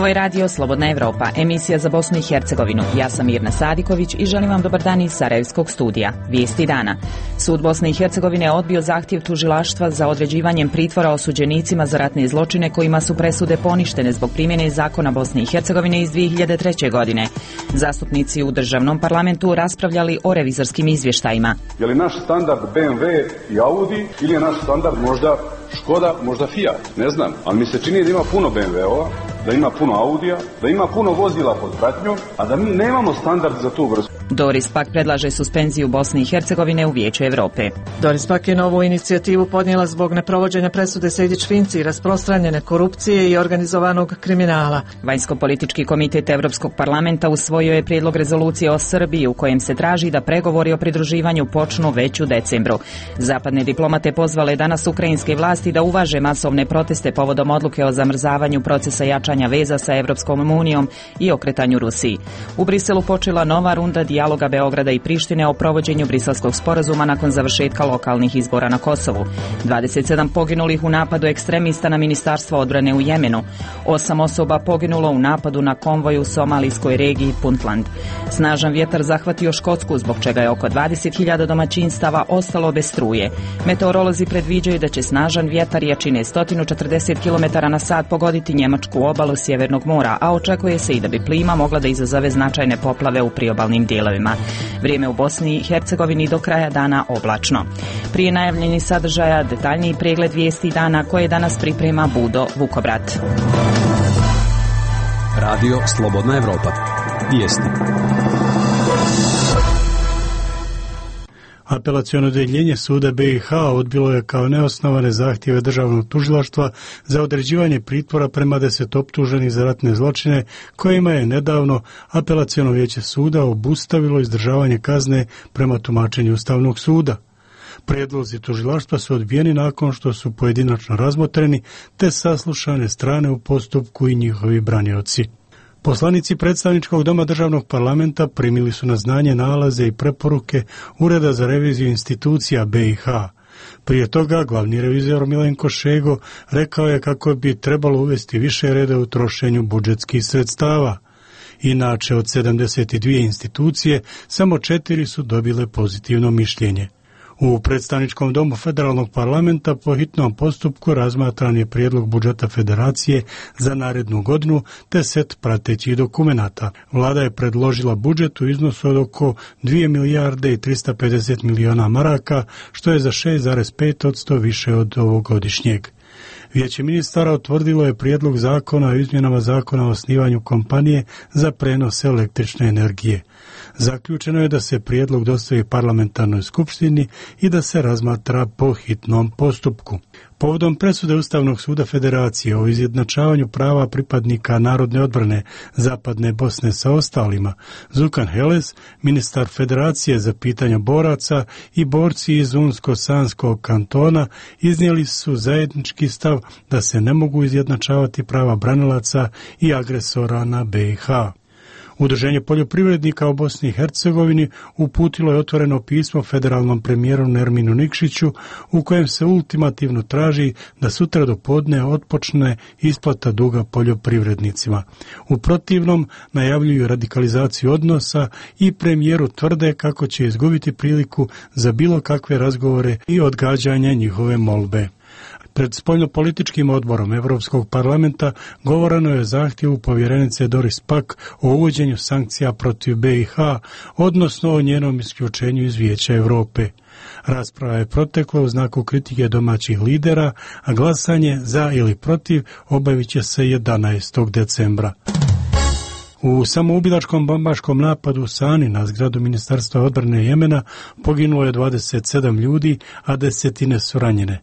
Ovo je radio Slobodna Evropa, emisija za Bosnu i Hercegovinu. Ja sam Mirna Sadiković i želim vam dobar dan iz Sarajevskog studija. Vijesti dana. Sud Bosne i Hercegovine odbio zahtjev tužilaštva za određivanjem pritvora osuđenicima za ratne zločine kojima su presude poništene zbog primjene zakona Bosne i Hercegovine iz 2003. godine. Zastupnici u državnom parlamentu raspravljali o revizorskim izvještajima. Je li naš standard BMW i Audi ili je naš standard možda Škoda, možda Fiat, ne znam, ali mi se čini da ima puno BMW-ova, da ima puno Audija, da ima puno vozila pod pratnjom, a da mi nemamo standard za tu vrstu. Doris Pack predlaže suspenziju Bosne i Hercegovine u Vijeću Europe. Doris Pack je novu inicijativu podnijela zbog neprovođenja presude Sejdić-Finci, rasprostranjene korupcije i organizovanog kriminala. Vanjsko-politički komitet Europskog parlamenta usvojio je prijedlog rezolucije o Srbiji u kojem se traži da pregovori o pridruživanju počnu već u decembru. Zapadne diplomate pozvale danas ukrajinske vlasti da uvaže masovne proteste povodom odluke o zamrzavanju procesa jačanja veza sa Europskom unijom i okretanju Rusiji. U Briselu počela nova runda dijaloga Beograda i Prištine o provođenju Briselskog sporazuma nakon završetka lokalnih izbora na Kosovu. 27 poginulih u napadu ekstremista na Ministarstvo odbrane u Jemenu. 8 osoba poginulo u napadu na konvoj u somalijskoj regiji Puntland. Snažan vjetar zahvatio Škotsku, zbog čega je oko 20.000 domaćinstava ostalo bez struje. Meteorolozi predviđaju da će snažan vjetar jačine 140 km/h pogoditi njemačku obalu Sjevernog mora, a očekuje se i da bi plima mogla da izazove značajne poplave u priobalnim dijelovima. Vrijeme u Bosni i Hercegovini do kraja dana oblačno. Prije najavljenih sadržaja detaljniji pregled vijesti dana koje danas priprema Budo Vukovrat. Radio Slobodna Evropa. Vijesti. Apelaciono odjeljenje suda BiH odbilo je kao neosnovane zahtjeve državnog tužilaštva za određivanje pritvora prema 10 optuženih za ratne zločine, kojima je nedavno apelaciono vijeće suda obustavilo izdržavanje kazne prema tumačenju Ustavnog suda. Prijedlozi tužilaštva su odbijeni nakon što su pojedinačno razmotreni te saslušane strane u postupku i njihovi branioci. Poslanici predstavničkog doma državnog parlamenta primili su na znanje nalaze i preporuke Ureda za reviziju institucija BiH. Prije toga glavni revizor Milenko Šego rekao je kako bi trebalo uvesti više reda u trošenju budžetskih sredstava. Inače, od 72 institucije, samo 4 su dobile pozitivno mišljenje. U predstavničkom domu federalnog parlamenta po hitnom postupku razmatran je prijedlog budžeta federacije za narednu godinu te set pratećih dokumenata. Vlada je predložila budžet u iznosu od oko 2 milijarde i 350 miliona maraka, što je za 6,5% više od ovogodišnjeg. Vijeće ministara utvrdilo je prijedlog zakona o izmjenama zakona o osnivanju kompanije za prenos električne energije. Zaključeno je da se prijedlog dostavi parlamentarnoj skupštini i da se razmatra po hitnom postupku. Povodom presude Ustavnog suda Federacije o izjednačavanju prava pripadnika narodne odbrane Zapadne Bosne sa ostalima, Zukan Heles, ministar Federacije za pitanja boraca i borci iz Unsko-Sanskog kantona iznijeli su zajednički stav da se ne mogu izjednačavati prava branilaca i agresora na BiH. Udruženje poljoprivrednika u Bosni i Hercegovini uputilo je otvoreno pismo federalnom premijeru Nerminu Nikšiću u kojem se ultimativno traži da sutra do podne otpočne isplata duga poljoprivrednicima. U protivnom najavljuju radikalizaciju odnosa i premijeru tvrde kako će izgubiti priliku za bilo kakve razgovore i odgađanje njihove molbe. Pred spoljnopolitičkim odborom Europskog parlamenta govoreno je o zahtjevu povjerenice Doris Pack o uvođenju sankcija protiv BiH, odnosno o njenom isključenju iz Vijeća Europe. Rasprava je protekla u znaku kritike domaćih lidera, a glasanje za ili protiv obavit će se 11. decembra. U samoubilačkom bombaškom napadu u Sani na zgradu Ministarstva odbrane Jemena poginulo je 27 ljudi, a desetine su ranjene.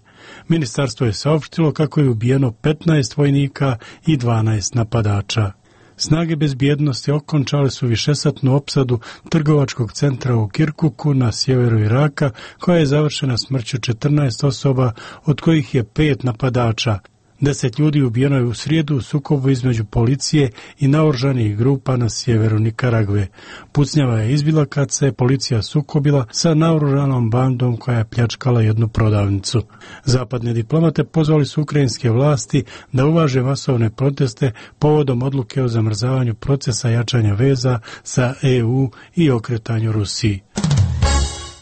Ministarstvo je saopštilo kako je ubijeno 15 vojnika i 12 napadača. Snage bezbjednosti okončale su višesatnu opsadu trgovačkog centra u Kirkuku na sjeveru Iraka, koja je završena smrću 14 osoba, od kojih je 5 napadača. 10 ljudi ubijeno je u srijedu u sukobu između policije i naoružanih grupa na sjeveru Nikaragve. Pucnjava je izbila kad se policija sukobila sa naoružanom bandom koja je pljačkala jednu prodavnicu. Zapadne diplomate pozvali su ukrajinske vlasti da uvaže masovne proteste povodom odluke o zamrzavanju procesa jačanja veza sa EU i okretanju Rusiji.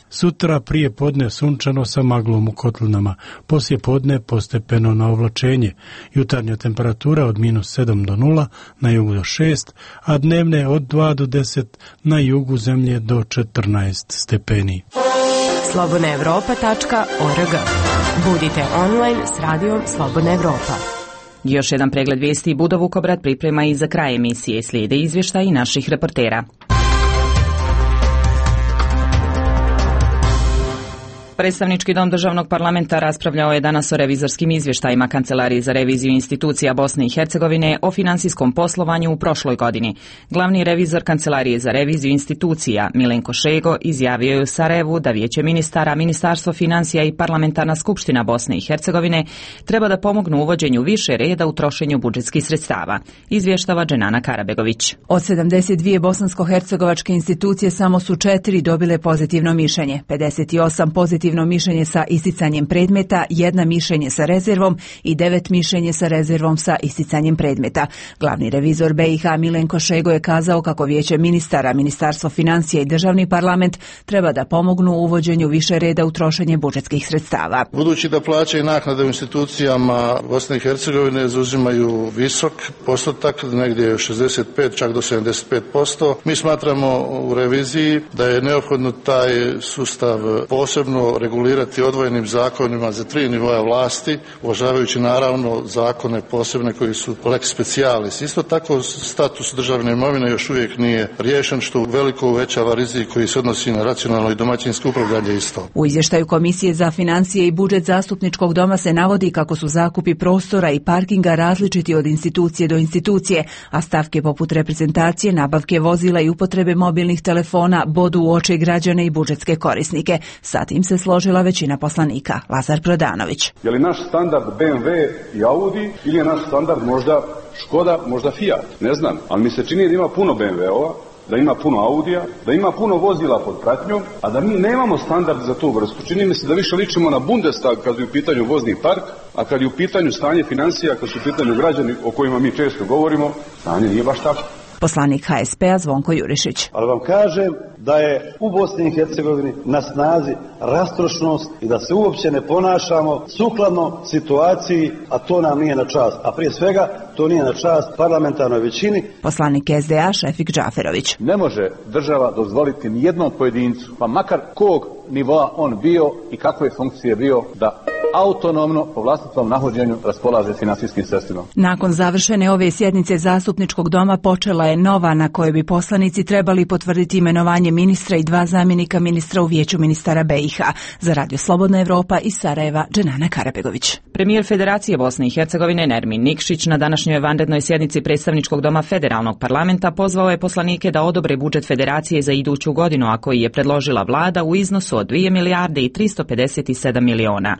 Sutra prije podne sunčano sa maglom u kotlinama, poslije podne postepeno na oblačenje. Jutarnja temperatura od -7 do 0, na jugu do 6, a dnevne od 2 do 10, na jugu zemlje do 14 stepeni. slobodnaevropa.org. Budite online s radijom Slobodna Evropa. Još jedan pregled vijesti Budo Vukobrad priprema i za kraj emisije. Slijede izvještaji naših reportera. Predstavnički dom državnog parlamenta raspravljao je danas o revizorskim izvještajima Kancelarije za reviziju institucija Bosne i Hercegovine o financijskom poslovanju u prošloj godini. Glavni revizor Kancelarije za reviziju institucija Milenko Šego izjavio je u Sarajevu da Vijeće ministara, Ministarstvo financija i Parlamentarna skupština Bosne i Hercegovine treba da pomognu uvođenju više reda u trošenju budžetskih sredstava. Izvještava Dženana Karabegović. Od 72 bosansko-hercegovačke institucije samo su 4 dobile pozitivno mišljenje, 58 pozitivno mišljenje sa isticanjem predmeta, 1 mišljenje sa rezervom i 9 mišljenje sa rezervom sa isticanjem predmeta. Glavni revizor BiH Milenko Šego je kazao kako Vijeće ministara, Ministarstvo financija i Državni parlament treba da pomognu u uvođenju više reda u trošenje budžetskih sredstava. Budući da plaće i naknade u institucijama Bosne i Hercegovine zauzimaju visok postotak, negdje 65 čak do 75%, mi smatramo u reviziji da je neophodno taj sustav posebno regulirati odvojenim zakonima za 3 nivoa vlasti, uvažavajući naravno zakone posebne koji su lex specialis. Isto tako status državne imovine još uvijek nije riješen, što veliko uvećava rizik koji se odnosi na racionalno i domaćinsko upravljanje isto. U izvještaju Komisije za financije i budžet Zastupničkog doma se navodi kako su zakupi prostora i parkinga različiti od institucije do institucije, a stavke poput reprezentacije, nabavke vozila i upotrebe mobilnih telefona bodu u oči građane i budžetske korisnike. Sa tim se složila većina poslanika. Lazar Prodanović. Je li naš standard BMW i Audi ili je naš standard možda Škoda, možda Fiat? Ne znam, ali mi se čini da ima puno BMW-ova, da ima puno Audija, da ima puno vozila pod pratnjom, a da mi nemamo standard za tu vrstu. Čini mi se da više ličimo na Bundestag kad je u pitanju vozni park, a kad je u pitanju stanje financija, kad su u pitanju građani o kojima mi često govorimo, stanje nije baš tako. Poslanik HSP-a Zvonko Jurišić. Ali vam kažem da je u Bosni i Hercegovini na snazi rastrošnost i da se uopće ne ponašamo sukladno situaciji, a to nam nije na čast. A prije svega to nije na čast parlamentarnoj većini. Poslanik SDA Šefik Džaferović. Ne može država dozvoliti nijednom pojedincu, pa makar kog nivoa on bio i kakve funkcije bio, da autonomno po vlastitom nahođenju raspolaže financijskim sredstvima. Nakon završene ove sjednice Zastupničkog doma počela je nova na kojoj bi poslanici trebali potvrditi imenovanje ministra i 2 zamjenika ministra u Vijeću ministara BiH. Za Radio Slobodna Evropa iz Sarajeva, Dženana Karabegović. Premijer Federacije Bosne i Hercegovine Nermin Nikšić na današnjoj vanrednoj sjednici Predstavničkog doma Federalnog parlamenta pozvao je poslanike da odobre budžet Federacije za iduću godinu, a koji je predložila vlada u iznosu od 2 milijarde i 357 miliona.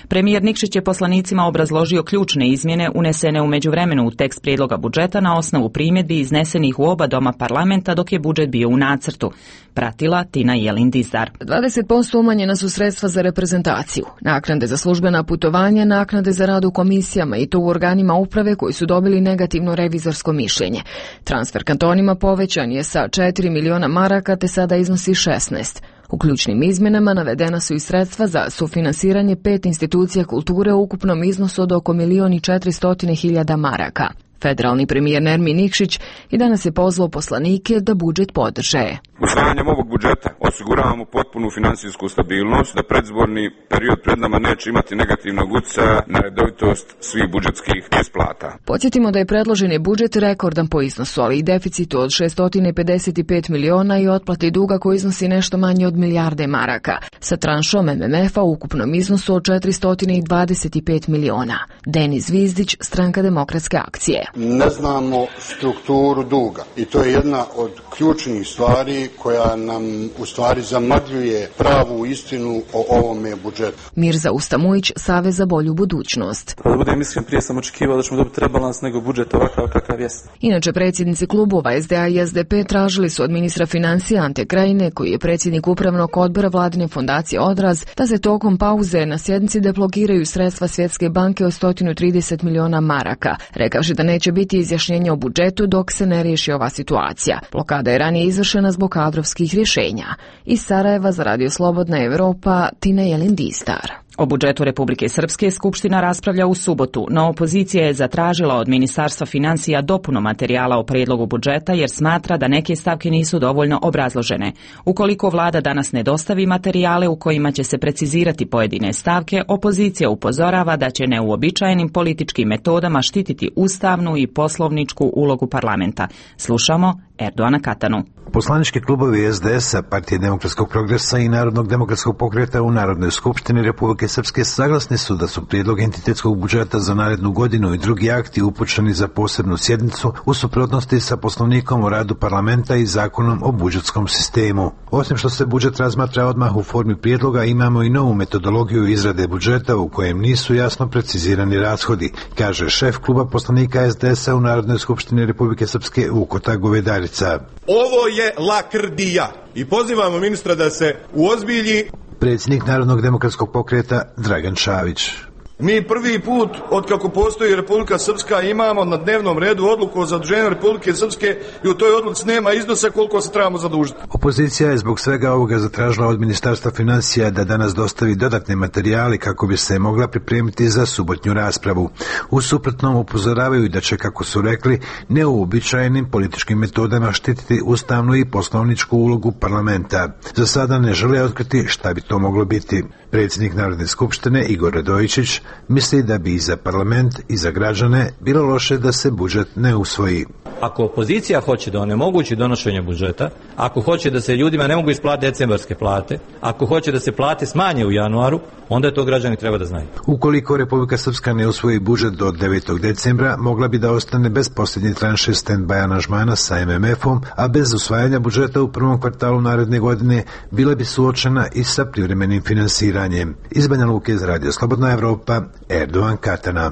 Premijer Nikšić je poslanicima obrazložio ključne izmjene unesene u međuvremenu u tekst prijedloga budžeta na osnovu primjedbi iznesenih u oba doma parlamenta dok je budžet bio u nacrtu. Pratila Tina Jelin-Dizdar. 20% umanjena su sredstva za reprezentaciju, naknade za službena putovanja, naknade za rad u komisijama i to u organima uprave koji su dobili negativno revizorsko mišljenje. Transfer kantonima povećan je sa 4 miliona maraka te sada iznosi 16. U ključnim izmjenama navedena su i sredstva za sufinansiranje 5 institucija kulture u ukupnom iznosu od oko 1.400.000 maraka. Federalni premijer Nermin Nikšić i danas je pozvao poslanike da budžet podrže. Usvajanjem ovog budžeta osiguravamo potpunu financijsku stabilnost, da predizborni period pred nama neće imati negativnog utjecaja na redovitost svih budžetskih isplata. Podsjetimo da je predloženi budžet rekordan po iznosu, ali i deficitu od 655 miliona i otplati duga koji iznosi nešto manje od milijarde maraka, sa tranšom MMF-a u ukupnom iznosu od 425 miliona. Denis Zvizdić, Stranka demokratske akcije. Ne znamo strukturu duga i to je jedna od ključnih stvari koja nam u stvari zamagljuje pravu istinu o ovome budžetu. Mirza Ustamujić, Savez za bolju budućnost. Da budem iskren, prije sam očekivao da ćemo dobiti rebalans nego budžet ovakav kakav jest. Inače, predsjednici klubova SDA i SDP tražili su od ministra financija Ante Krajine, koji je predsjednik upravnog odbora vladine fondacije Odraz, da se tokom pauze na sjednici deblokiraju sredstva Svjetske banke od 130 miliona maraka, rekavši da neće biti izjašnjenja o budžetu dok se ne riješi ova situacija. Blokada je ranije izvršena zbog kadrovskih rješenja. Iz Sarajeva za Radio Slobodna Evropa, Tina Jelindistar. O budžetu Republike Srpske Skupština raspravlja u subotu, no opozicija je zatražila od Ministarstva financija dopunu materijala o prijedlogu budžeta jer smatra da neke stavke nisu dovoljno obrazložene. Ukoliko vlada danas ne dostavi materijale u kojima će se precizirati pojedine stavke, opozicija upozorava da će neuobičajenim političkim metodama štititi ustavnu i poslovničku ulogu parlamenta. Slušamo Erdoana Katanu. Poslanički klubovi SDS-a, Partije demokratskog progresa i Narodnog demokratskog pokreta u Narodnoj skupštini Republike Srpske saglasni su da su prijedlog entitetskog budžeta za narednu godinu i drugi akti upućeni za posebnu sjednicu u suprotnosti sa Poslovnikom o radu parlamenta i Zakonom o budžetskom sistemu. Osim što se budžet razmatra odmah u formi prijedloga, imamo i novu metodologiju izrade budžeta u kojem nisu jasno precizirani rashodi, kaže šef kluba poslanika SDS-a u Narodnoj skupštini Republike Srpske Vukota Govedarica. Ovo je lakrdija i pozivamo ministra da se uozbilji. Predsjednik Narodnog demokratskog pokreta Dragan Čavić. Mi prvi put od kako postoji Republika Srpska imamo na dnevnom redu odluku o zaduženju Republike Srpske i u toj odluci nema iznosa koliko se trebamo zadužiti. Opozicija je zbog svega ovoga zatražila od Ministarstva financija da danas dostavi dodatne materijale kako bi se mogla pripremiti za subotnju raspravu. U suprotnom upozoravaju da će, kako su rekli, neuobičajenim političkim metodama štititi ustavnu i poslovničku ulogu parlamenta. Za sada ne žele otkriti šta bi to moglo biti. Predsjednik Narodne skupštine Igor Radojičić misli da bi i za parlament i za građane bilo loše da se budžet ne usvoji. Ako opozicija hoće da onemogući donošenje budžeta, ako hoće da se ljudima ne mogu isplatiti decembarske plate, ako hoće da se plate smanje u januaru, onda je to građani treba da znaju. Ukoliko Republika Srpska ne usvoji budžet do 9. decembra, mogla bi da ostane bez posljednje tranše stand-by aranžmana sa MMF-om, a bez usvajanja budžeta u prvom kvartalu naredne godine bila bi suočena i sa privremenim finansiranjem. Iz Banja Luke za Radio Slobodna Evropa, Erdoan Katana.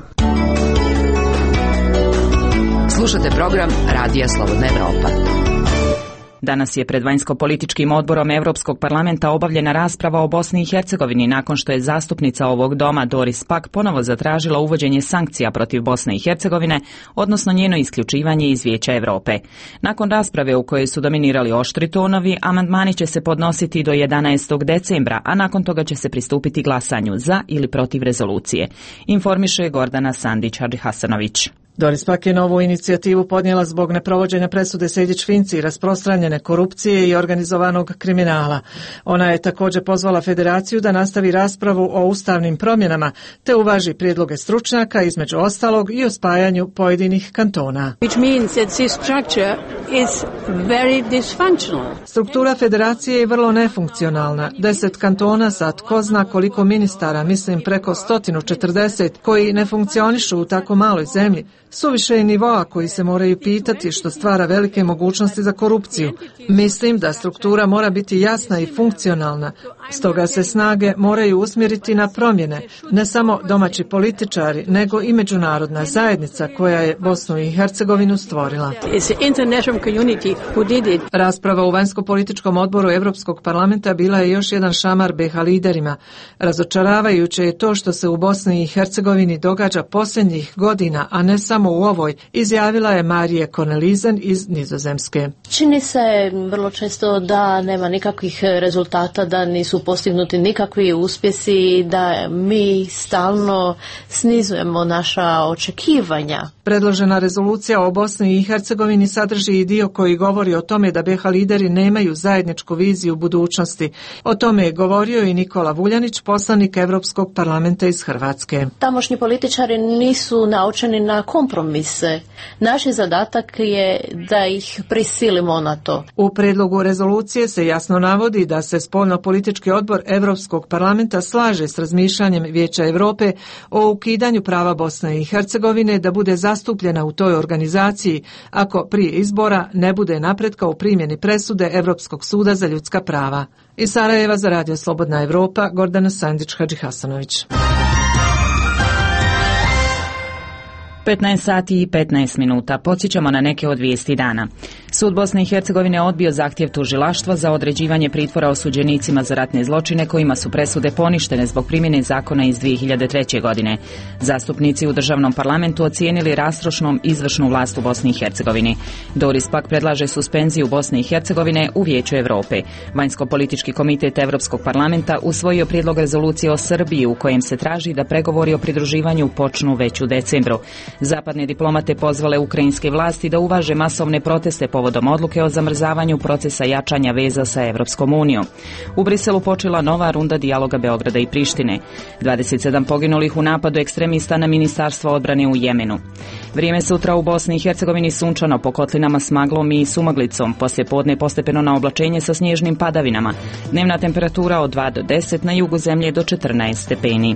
Slušate program Radija Slobodna Evropa. Danas je pred vanjsko-političkim odborom Europskog parlamenta obavljena rasprava o Bosni i Hercegovini nakon što je zastupnica ovog doma Doris Pack ponovo zatražila uvođenje sankcija protiv Bosne i Hercegovine, odnosno njeno isključivanje iz Vijeća Europe. Nakon rasprave u kojoj su dominirali oštri tonovi, amandmani će se podnositi do 11. decembra, a nakon toga će se pristupiti glasanju za ili protiv rezolucije. Informiše Gordana Sandić-Hadžihasanović. Doris Pack je novu inicijativu podnijela zbog neprovođenja presude Sejdić-Finci, rasprostranjene korupcije i organizovanog kriminala. Ona je također pozvala federaciju da nastavi raspravu o ustavnim promjenama te uvaži prijedloge stručnjaka, između ostalog i o spajanju pojedinih kantona. Struktura federacije je vrlo nefunkcionalna. 10 kantona sa tko zna koliko ministara, mislim preko 140, koji ne funkcionišu u tako maloj zemlji, suviše je nivoa koji se moraju pitati, što stvara velike mogućnosti za korupciju. Mislim da struktura mora biti jasna i funkcionalna, stoga se snage moraju usmjeriti na promjene, ne samo domaći političari, nego i međunarodna zajednica koja je Bosnu i Hercegovinu stvorila. Rasprava u vanjsko-političkom odboru Europskog parlamenta bila je još jedan šamar BiH liderima. Razočaravajuće je to što se u Bosni i Hercegovini događa posljednjih godina, a ne samo u ovoj, izjavila je Marije Cornelissen iz Nizozemske. Čini se vrlo često da nema nikakvih rezultata, da nisu postignuti nikakvi uspjesi, da mi stalno snizujemo naša očekivanja. Predložena rezolucija o Bosni i Hercegovini sadrži i dio koji govori o tome da BiH lideri nemaju zajedničku viziju budućnosti. O tome je govorio i Nikola Vuljanić, poslanik Europskog parlamenta iz Hrvatske. Tamošnji političari nisu naučeni na kompromise. Naš zadatak je da ih prisilimo na to. U predlogu rezolucije se jasno navodi da se spoljno-politički odbor Europskog parlamenta slaže s razmišljanjem Vijeća Europe o ukidanju prava Bosne i Hercegovine da bude zastupljena zastupljena u toj organizaciji ako prije izbora ne bude napretka u primjeni presude Europskog suda za ljudska prava. Iz Sarajeva za Radio Slobodna Evropa, Gordana Sandić-Hadžihasanović. 15 sati i 15 minuta. Podsjećamo na neke od vijesti dana. Sud Bosne i Hercegovine odbio zahtjev tužilaštva za određivanje pritvora osuđenicima za ratne zločine kojima su presude poništene zbog primjene zakona iz 2003. godine. Zastupnici u državnom parlamentu ocijenili rastrošnom izvršnu vlast u Bosni i Hercegovini. Doris pak predlaže suspenziju Bosne i Hercegovine u Vijeću Europe. Vanjsko-politički komitet Europskog parlamenta usvojio prijedlog rezolucije o Srbiji u kojem se traži da pregovori o pridruživanju počnu već u decembru. Zapadne diplomate pozvale ukrajinske vlasti da uvaže masovne proteste povodom odluke o zamrzavanju procesa jačanja veza sa Evropskom unijom. U Briselu počela nova runda dijaloga Beograda i Prištine. 27 poginulih u napadu ekstremista na Ministarstvo odbrane u Jemenu. Vrijeme sutra u Bosni i Hercegovini sunčano, po kotlinama s maglom i sumaglicom. Poslije podne postepeno na oblačenje sa snježnim padavinama. Dnevna temperatura od 2 do 10, na jugu zemlje do 14 stepeni.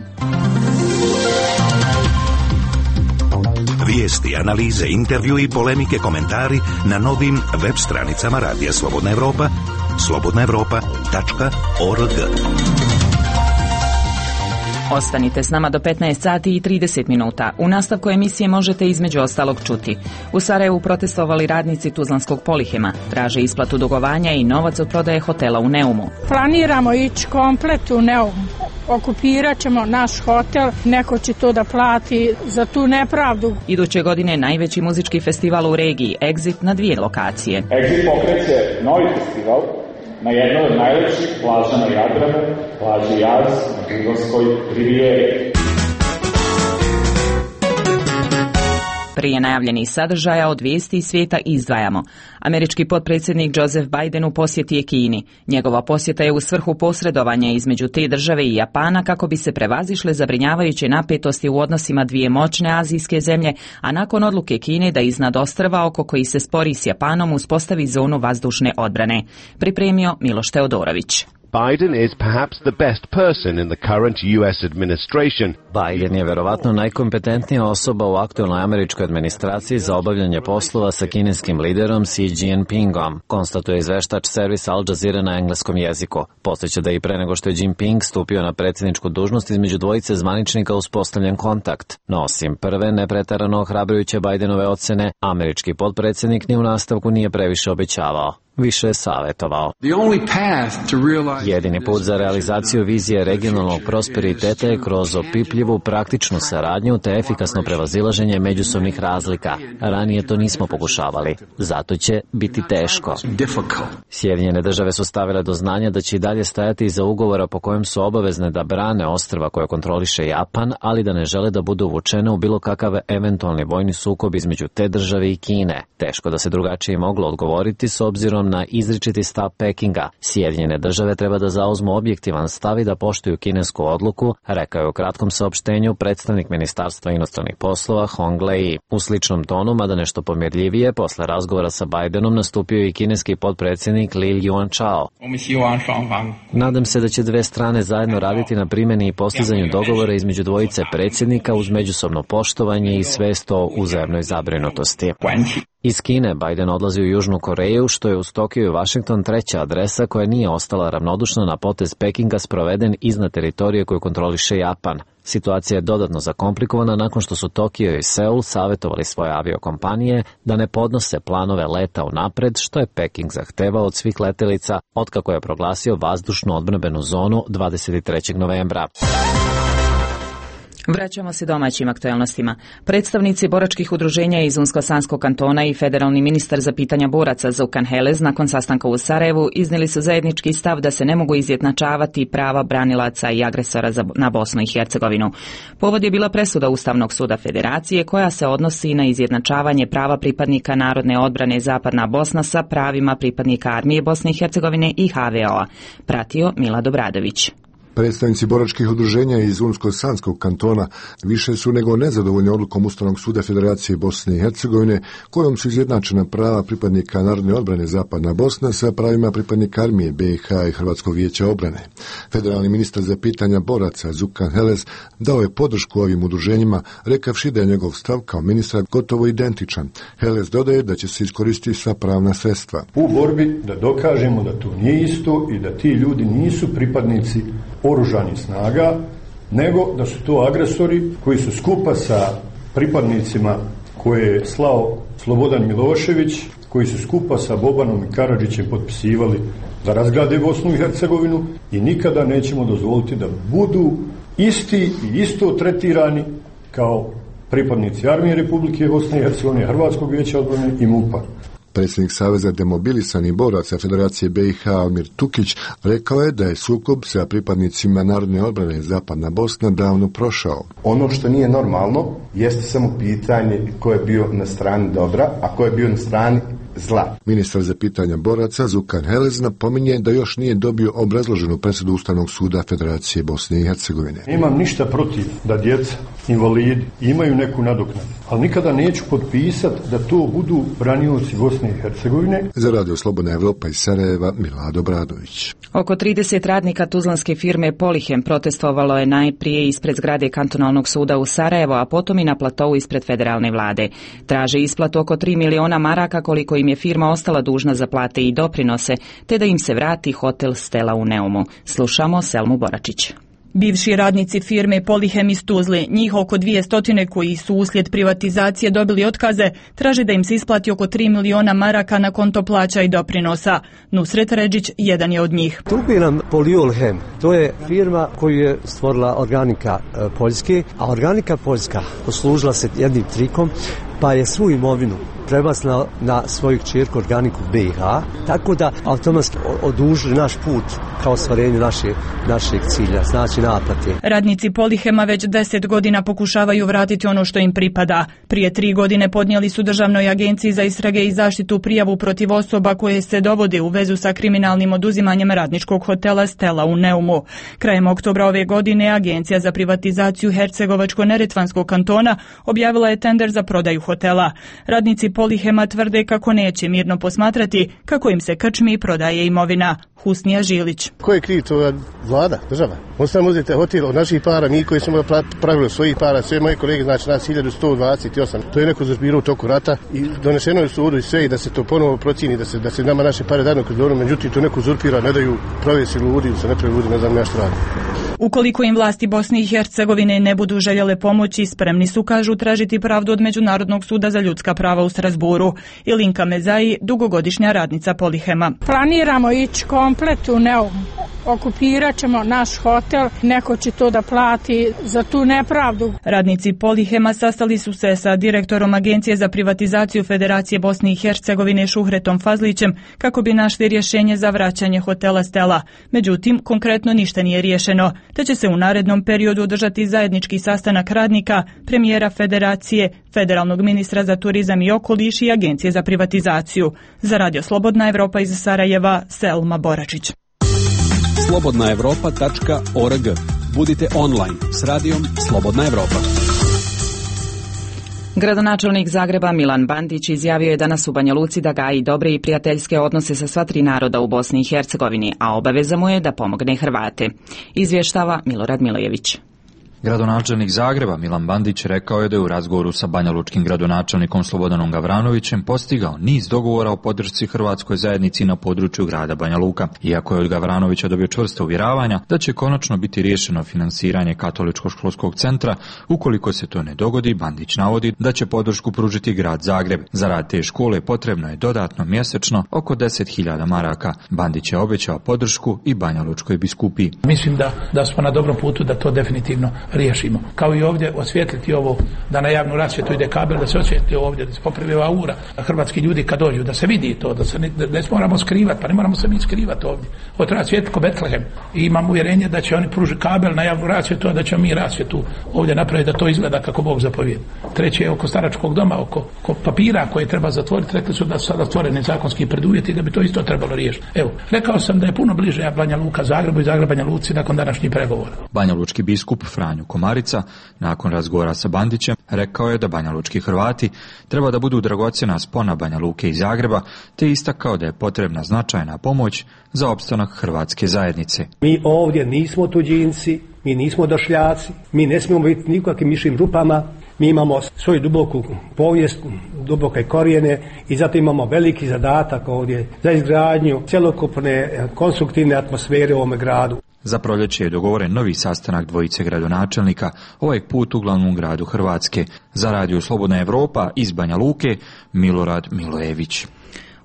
Vijesti, analize, intervju i polemike, komentari na novim web stranicama Radija Slobodna Evropa, slobodnaevropa.org. Ostanite s nama do 15 sati i 30 minuta. U nastavku emisije možete između ostalog čuti. U Sarajevu protestovali radnici Tuzlanskog Polihema. Traže isplatu dugovanja i novac od prodaje hotela u Neumu. Planiramo ići komplet u Neum. Okupirat ćemo naš hotel, neko će to da plati za tu nepravdu. Iduće godine najveći muzički festival u regiji, Exit, na 2 lokacije. Exit pokreće novi festival na jednoj od najlepših plaža na Jadranu, plaži Jaz na Prigorskoj rivijeri. Prije najavljenih sadržaja od vijesti iz svijeta izdvajamo. Američki potpredsjednik Joseph Biden u posjeti je Kini. Njegova posjeta je u svrhu posredovanja između te države i Japana kako bi se prevazišle zabrinjavajuće napetosti u odnosima dvije moćne azijske zemlje, a nakon odluke Kine da iznad ostrva oko koji se spori s Japanom uspostavi zonu vazdušne odbrane. Pripremio Miloš Teodorović. Biden is perhaps the best person in the current US administration. Biden je verovatno najkompetentnija osoba u aktualnoj američkoj administraciji za obavljanje poslova sa kineskim liderom Xi Jinpingom, konstatuje izveštač servis Al Jazeera na engleskom jeziku. Podsjeća da i pre nego što je Jinping stupio na predsjedničku dužnost između dvojice zvaničnika uspostavljen kontakt. No osim prve nepreterano ohrabrujuće Bidenove ocene, američki potpredsjednik ni u nastavku nije previše obećavao. Više je savjetovao. Jedini put za realizaciju vizije regionalnog prosperiteta je kroz opipljivu praktičnu saradnju te efikasno prevazilaženje međusobnih razlika. Ranije to nismo pokušavali. Zato će biti teško. Sjedinjene države su stavile do znanja da će i dalje stajati iza ugovora po kojem su obavezne da brane ostrva koje kontroliše Japan, ali da ne žele da budu uvučene u bilo kakav eventualni vojni sukob između te države i Kine. Teško da se drugačije moglo odgovoriti s obzirom na izričiti stav Pekinga. Sjedinjene države treba da zauzmu objektivan stav i da poštuju kinesku odluku, rekao je u kratkom saopštenju predstavnik Ministarstva inostranih poslova Hong Lei. U sličnom tonu, mada nešto pomirljivije, posle razgovora sa Bidenom nastupio i kineski potpredsjednik Li Yuanchao. Nadam se da će dve strane zajedno raditi na primjeni i postizanju dogovora između dvojice predsjednika uz međusobno poštovanje i svest o uzajamnoj zabrinutosti. Iz Kine Biden odlazi u Južnu Koreju, što je uz Tokio i Washington treća adresa koja nije ostala ravnodušna na potez Pekinga sproveden iznad teritorije koju kontroliše Japan. Situacija je dodatno zakomplikovana nakon što su Tokio i Seul savjetovali svoje aviokompanije da ne podnose planove leta unapred, što je Peking zahtevao od svih letelica otkako je proglasio vazdušnu odbrambenu zonu 23. novembra. Vraćamo se domaćim aktualnostima. Predstavnici boračkih udruženja iz Unsko-Sanskog kantona i federalni ministar za pitanja boraca Zukan Helez nakon sastanka u Sarajevu iznijeli su zajednički stav da se ne mogu izjednačavati prava branilaca i agresora na Bosnu i Hercegovinu. Povod je bila presuda Ustavnog suda Federacije koja se odnosi na izjednačavanje prava pripadnika Narodne odbrane Zapadna Bosna sa pravima pripadnika Armije Bosne i Hercegovine i HVO-a. Pratio Milad Obradović. Predstavnici boračkih udruženja iz Unsko-Sanskog kantona više su nego nezadovoljni odlukom Ustavnog suda Federacije Bosne i Hercegovine, kojom su izjednačena prava pripadnika Narodne odbrane Zapadna Bosna sa pravima pripadnika armije BiH i Hrvatskog vijeća obrane. Federalni ministar za pitanja boraca Zukan Heles dao je podršku ovim udruženjima, rekavši da je njegov stav kao ministra gotovo identičan. Heles dodaje da će se iskoristiti sva pravna sredstva. U borbi da dokažemo da to nije isto i da ti ljudi nisu pripadnici oružanih snaga, nego da su to agresori koji su skupa sa pripadnicima koje je slao Slobodan Milošević, koji su skupa sa Bobanom i Karadžićem potpisivali da razgrade Bosnu i Hercegovinu i nikada nećemo dozvoliti da budu isti i isto tretirani kao pripadnici armije Republike Bosne i Hercegovine, Hrvatskog vijeća odbrane i MUP-a. Predsjednik Saveza demobilisanih boraca Federacije BiH Almir Tukić rekao je da je sukob sa pripadnicima Narodne odbrane Zapadna Bosna davno prošao. Ono što nije normalno jeste samo pitanje ko je bio na strani dobra, a ko je bio na strani zla. Ministar za pitanja boraca Zukan Heles napominje da još nije dobio obrazloženu presudu Ustavnog suda Federacije Bosne i Hercegovine. Nemam ništa protiv da djeca, invalidi imaju neku nadoknadu, ali nikada neću potpisati da to budu branioci Bosne i Hercegovine. Za Radio Slobodna Evropa iz Sarajeva, Milado Bradović. Oko 30 radnika tuzlanske firme Polihem protestovalo je najprije ispred zgrade kantonalnog suda u Sarajevo, a potom i na platovu ispred federalne vlade. Traže isplatu oko 3 miliona maraka koliko im je firma ostala dužna za plate i doprinose, te da im se vrati hotel Stela u Neumu. Slušamo Selmu Boračić. Bivši radnici firme Polihem iz Tuzle, njih oko 200 koji su uslijed privatizacije dobili otkaze, traže da im se isplati oko 3 miliona maraka na konto plaća i doprinosa. Nusret Redžić jedan je od njih. Trupiram Poliolhem, to je firma koju je stvorila Organika Poljske, a Organika Poljska poslužila se jednim trikom, pa je svu imovinu prebacila na svoju kćerku Organiku BiH, tako da automatski odužili naš put kao ostvarenju našeg cilja, znači naplate. Radnici Polihema već 10 godina pokušavaju vratiti ono što im pripada. Prije 3 godine podnijeli su Državnoj agenciji za istrage i zaštitu prijavu protiv osoba koje se dovode u vezu sa kriminalnim oduzimanjem radničkog hotela Stela u Neumu. Krajem oktobra ove godine Agencija za privatizaciju Hercegovačko-Neretvanskog kantona objavila je tender za prodaju hotela. Radnici Polihema tvrde kako neće mirno posmatrati kako im se krčmi i prodaje imovina. Husnija Žilić. Ko je kriv? To je vlada, država. Ostavimo uzeti hotel od naših para, mi koji smo pravili svojih para, sve moje kolege, znači nas 1128. To je neko uzurpirao u toku rata i donešeno je u sudu i sve i da se to ponovo procjeni, da se nama naše pare dadno kroz dobro, međutim to neko uzurpira, ne daju provjesi ljudi, se ne pravi ljudi, ne znam ja što radi. Ukoliko im vlasti Bosne i Hercegovine ne budu željele pomoći, spremni su, kažu, tražiti pravdu od Međunarodnog suda za ljudska prava u Strasburu. Ilinka Mezaji, dugogodišnja radnica Polihema. Planiramo ići komplet u Neum. Okupirat ćemo naš hotel, neko će to da plati za tu nepravdu. Radnici Polihema sastali su se sa direktorom Agencije za privatizaciju Federacije Bosne i Hercegovine Šuhretom Fazlićem kako bi našli rješenje za vraćanje hotela Stela. Međutim, konkretno ništa nije riješeno, te će se u narednom periodu održati zajednički sastanak radnika, premijera Federacije, federalnog ministra za turizam i okoliš i Agencije za privatizaciju. Za Radio Slobodna Evropa iz Sarajeva, Selma Boračić. slobodnaevropa.org. Budite online s radijom Slobodna Evropa. Gradonačelnik Zagreba Milan Bandić izjavio je danas u Banja Luci da gaji dobre i prijateljske odnose sa sva 3 naroda u Bosni i Hercegovini, a obaveza mu je da pomogne Hrvate. Izvještava Milorad Milojević. Gradonačelnik Zagreba Milan Bandić rekao je da je u razgovoru sa banjalučkim gradonačelnikom Slobodanom Gavranovićem postigao niz dogovora o podršci hrvatskoj zajednici na području grada Banja Luka. Iako je od Gavranovića dobio čvrsta uvjeravanja da će konačno biti riješeno finansiranje katoličkog školskog centra, ukoliko se to ne dogodi, Bandić navodi da će podršku pružiti grad Zagreb. Za rad te škole potrebno je dodatno mjesečno oko 10.000 maraka. Bandić je obećao podršku i banjalučkoj biskupiji. Mislim da smo na dobrom putu da to definitivno riješimo. Kao i ovdje osvijetliti ovo, da na javnu rasvjetu ide kabel, da se osvijetli ovdje, da se popravi aura, da hrvatski ljudi kad dođu, da se vidi to, da se ne moramo skrivati, pa ne moramo se mi skrivati ovdje. Ovo treba svijetli ko Betlehem. I imam uvjerenje da će oni pružiti kabel na javnu rasvjetu, a da ćemo mi rasvjetu ovdje napraviti da to izgleda kako Bog zapovijeda. Treće je oko staračkog doma, oko papira koje treba zatvoriti, rekli su da su sada stvoreni zakonski preduvjeti da bi to isto trebalo riješiti. Evo, rekao sam da je puno bliže Banja Luka Zagrebu i Zagreb Banja Luci nakon današnjih pregovora. Banjalučki biskup Franjo Komarica nakon razgovora sa Bandićem rekao je da banjalučki Hrvati treba da budu dragocjena spona Banja Luke i Zagreba, te istakao da je potrebna značajna pomoć za opstanak hrvatske zajednice. Mi ovdje nismo tuđinci, mi nismo došljaci, mi ne smijemo biti nikakvim mišim rupama, mi imamo svoju duboku povijest, duboke korijene i zato imamo veliki zadatak ovdje za izgradnju cjelokupne konstruktivne atmosfere u ovome gradu. Za proljeće je dogovoren novi sastanak dvojice gradonačelnika, ovaj put u glavnom gradu Hrvatske. Za Radio Slobodna Evropa iz Banja Luke, Milorad Milojević.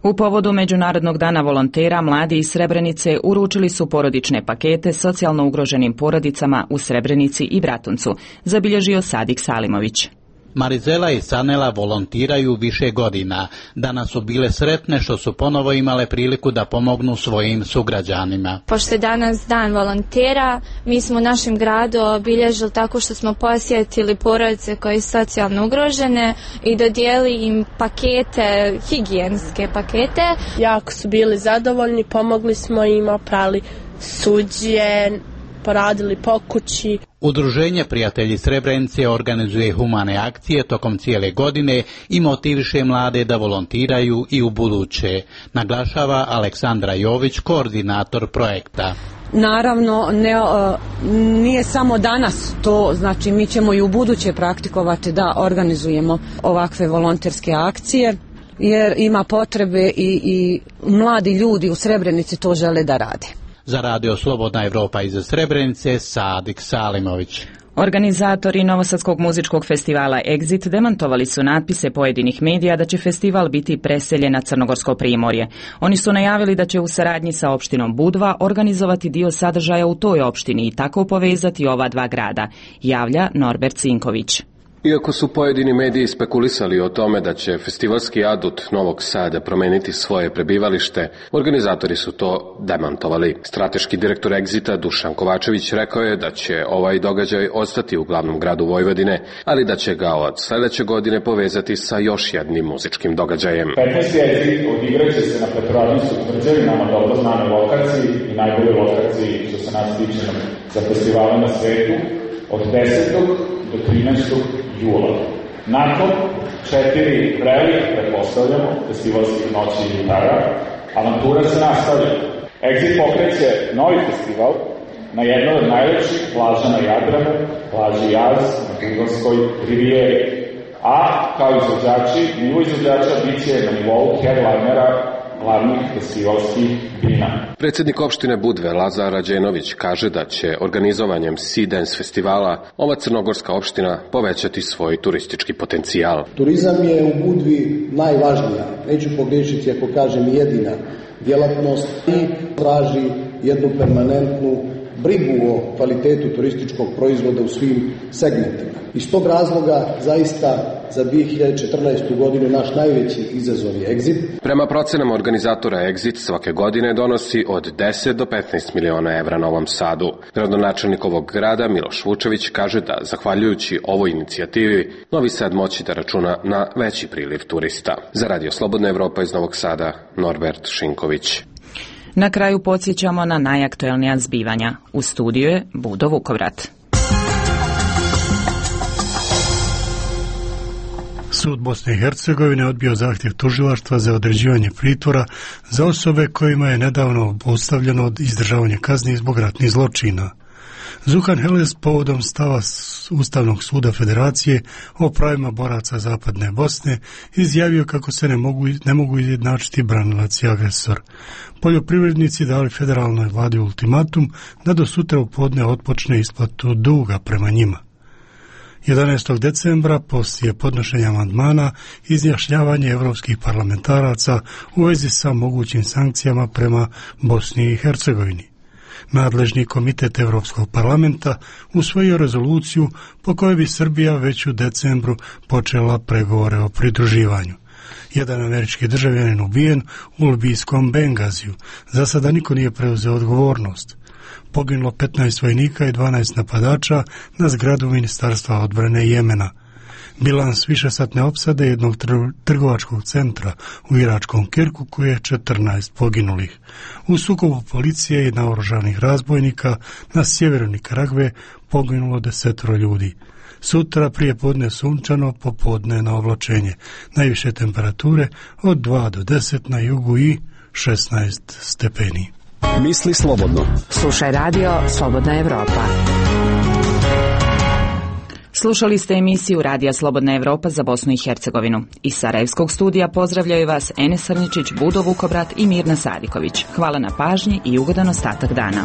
U povodu Međunarodnog dana volontera, mladi iz Srebrenice uručili su porodične pakete socijalno ugroženim porodicama u Srebrenici i Bratuncu, zabilježio Sadik Salimović. Marizela i Sanela volontiraju više godina. Danas su bile sretne što su ponovo imale priliku da pomognu svojim sugrađanima. Pošto je danas dan volontera, mi smo u našem gradu obilježili tako što smo posjetili porodice koje su socijalno ugrožene i dodijelili im pakete, higijenske pakete. Jako su bili zadovoljni, pomogli smo im, oprali suđe, poradili po kući. Udruženje Prijatelji Srebrenice organizuje humane akcije tokom cijele godine i motiviše mlade da volontiraju i u buduće, naglašava Aleksandra Jović, koordinator projekta. Naravno, nije samo danas to, znači mi ćemo i u buduće praktikovati da organizujemo ovakve volonterske akcije, jer ima potrebe i mladi ljudi u Srebrenici to žele da rade. Za Radio Slobodna Evropa iz Srebrenice, Sadik Salimović. Organizatori Novosadskog muzičkog festivala Exit demantovali su natpise pojedinih medija da će festival biti preseljen na Crnogorsko primorje. Oni su najavili da će u saradnji sa opštinom Budva organizovati dio sadržaja u toj opštini i tako povezati ova dva grada, javlja Norbert Cinković. Iako su pojedini mediji spekulisali o tome da će festivalski adut Novog Sada promeniti svoje prebivalište, organizatori su to demantovali. Strateški direktor Exita Dušan Kovačević rekao je da će ovaj događaj ostati u glavnom gradu Vojvodine, ali da će ga od sljedeće godine povezati sa još jednim muzičkim događajem. 15. Exit odigraće se na Petrovaradinskoj tvrđavi, nama dobro znane lokaciji i najbolje lokaciji što se nas tiče za festivale na svetu, od 10. do 13. jula. Nakon 4 vrelih, pretpostavljamo, festivalskih noći i jutara, avantura se nastavlja. Exit pokreće novi festival na jednoj od najlepših plaža na Jadranu, plaži Jaz na Bugarskoj rivijeri. A kao izvođači, nivo izvođača bit će na nivou headlinera glavnih festivalskih dina. Predsjednik opštine Budve Lazar Rađenović kaže da će organizovanjem Sea Dance festivala ova crnogorska opština povećati svoj turistički potencijal. Turizam je u Budvi najvažnija, neću pogriješiti ako kažem jedina djelatnost i traži jednu permanentnu brigu o kvalitetu turističkog proizvoda u svim segmentima. Iz tog razloga zaista za 2014. godinu naš najveći izazov je Exit. Prema procenama organizatora Exit svake godine donosi od 10 do 15 miliona evra Novom Sadu. Gradonačelnik ovog grada Miloš Vučević kaže da zahvaljujući ovoj inicijativi Novi Sad moći da računa na veći priliv turista. Za Radio Slobodna Evropa iz Novog Sada, Norbert Šinković. Na kraju podsjećamo na najaktuelnija zbivanja. U studiju je Budo Vukovrat. Sud Bosne i Hercegovine odbio zahtjev tužilaštva za određivanje pritvora za osobe kojima je nedavno obustavljeno izdržavanje kazni zbog ratnih zločina. Zuhan Heles povodom stava Ustavnog suda Federacije o pravima boraca Zapadne Bosne izjavio kako se ne mogu izjednačiti branilac i agresor. Poljoprivrednici dali federalnoj vladi ultimatum da do sutra u podne otpočne isplatu duga prema njima. 11. decembra poslije podnošenja amandmana izjašnjavanje evropskih parlamentaraca u vezi sa mogućim sankcijama prema Bosni i Hercegovini. Nadležni komitet Evropskog parlamenta usvojio rezoluciju po kojoj bi Srbija već u decembru počela pregovore o pridruživanju. Jedan američki državljanin ubijen u libijskom Bengaziju. Za sada niko nije preuzeo odgovornost. Poginulo 15 vojnika i 12 napadača na zgradu Ministarstva odbrane Jemena. Bilans višesatne opsade jednog trgovačkog centra u iračkom Kirkuku je 14 poginulih. U sukobu policije i naoružanih razbojnika na sjeveru Nikaragve poginulo 10 ljudi. Sutra prije podne sunčano, popodne na oblačenje. Najviše temperature od 2 do 10 na jugu i 16 stepeni. Misli slobodno. Slušaj radio Slobodna Evropa. Slušali ste emisiju Radija Slobodna Evropa za Bosnu i Hercegovinu. Iz Sarajevskog studija pozdravljaju vas Enes Srničić, Budo Vukobrat i Mirna Sadiković. Hvala na pažnji i ugodan ostatak dana.